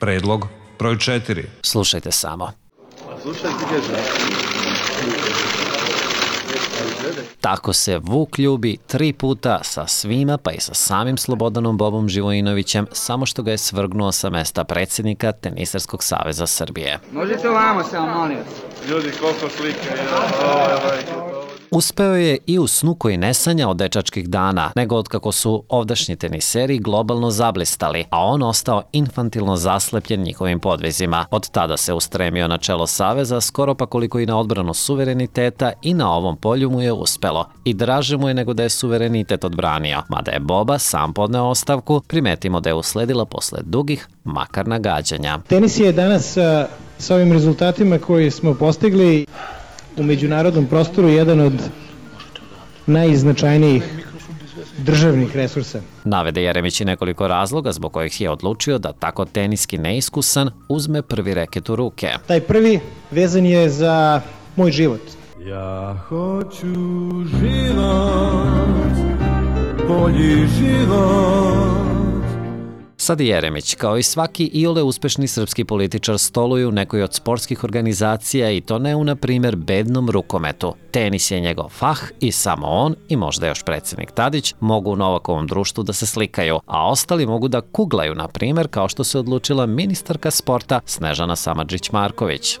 Predlog broj 4. Slušajte samo. Tako se Vuk ljubi 3 puta sa svima, pa i sa samim Slobodanom Bobom Živojinovićem, samo što ga je svrgnuo sa mesta predsjednika Tenisarskog saveza Srbije. Možete ovamo samo, molim. Ljudi, koliko slike. Uspeo je i u snu koji ne sanja od dečačkih dana, nego od kako su ovdašnji teniseri globalno zablistali, a on ostao infantilno zaslepljen njihovim podvizima. Od tada se ustremio na čelo saveza, skoro pa koliko i na odbranu suvereniteta, i na ovom polju mu je uspelo. I draže mu je nego da je suverenitet odbranio. Mada je Boba sam podneo ostavku, primetimo da je usledila posle dugih, makar nagađanja. Tenis je danas sa ovim rezultatima koje smo postigli u međunarodnom prostoru jedan od najznačajnijih državnih resursa. Navede Jeremić i nekoliko razloga zbog kojih je odlučio da tako teniski neiskusan uzme prvi reket u ruke. Taj prvi vezan je za moj život. Ja hoću život, bolji život. Sad Jeremić, kao i svaki iole uspešni srpski političar, stoluje u nekoj od sportskih organizacija, i to ne u, na primjer, bednom rukometu. Tenis je njegov fah i samo on, i možda još predsjednik Tadić, mogu u Novakovom društvu da se slikaju, a ostali mogu da kuglaju, na primjer, kao što se odlučila ministarka sporta Snežana Samardžić-Marković.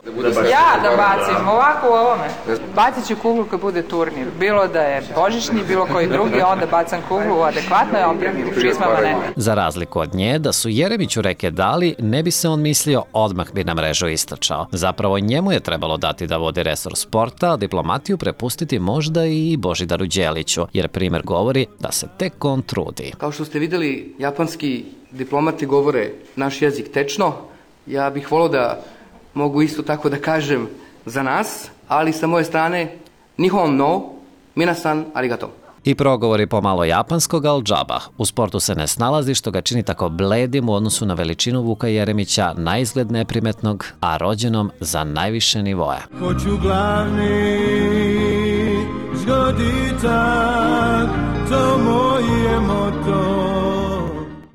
Ja da bacim ovako u ovome. Bacit ću kuglu kad bude turnir. Bilo da je božićni, bilo koji drugi, onda bacam kuglu u adekvatnoj opremi, u čizmama ne. Za razliku od nje, da su Jeremiću reke dali, ne bi se on mislio odmah bi na mrežu istrčao. Zapravo njemu je trebalo dati da vodi resor sporta, a diplomatiju prepustiti možda i Božidaru Đeliću, jer primjer govori da se tek on trudi. Kao što ste vidjeli, japanski diplomati govore naš jezik tečno. Ja bih volio da mogu isto tako da kažem za nas, ali sa moje strane nihon no, minasan arigato. I progovori pomalo japanskog, al džaba. U sportu se ne snalazi, što ga čini tako bledim u odnosu na veličinu Vuka Jeremića, na izgled neprimetnog, a rođenom za najviše nivoe. Hoću glavni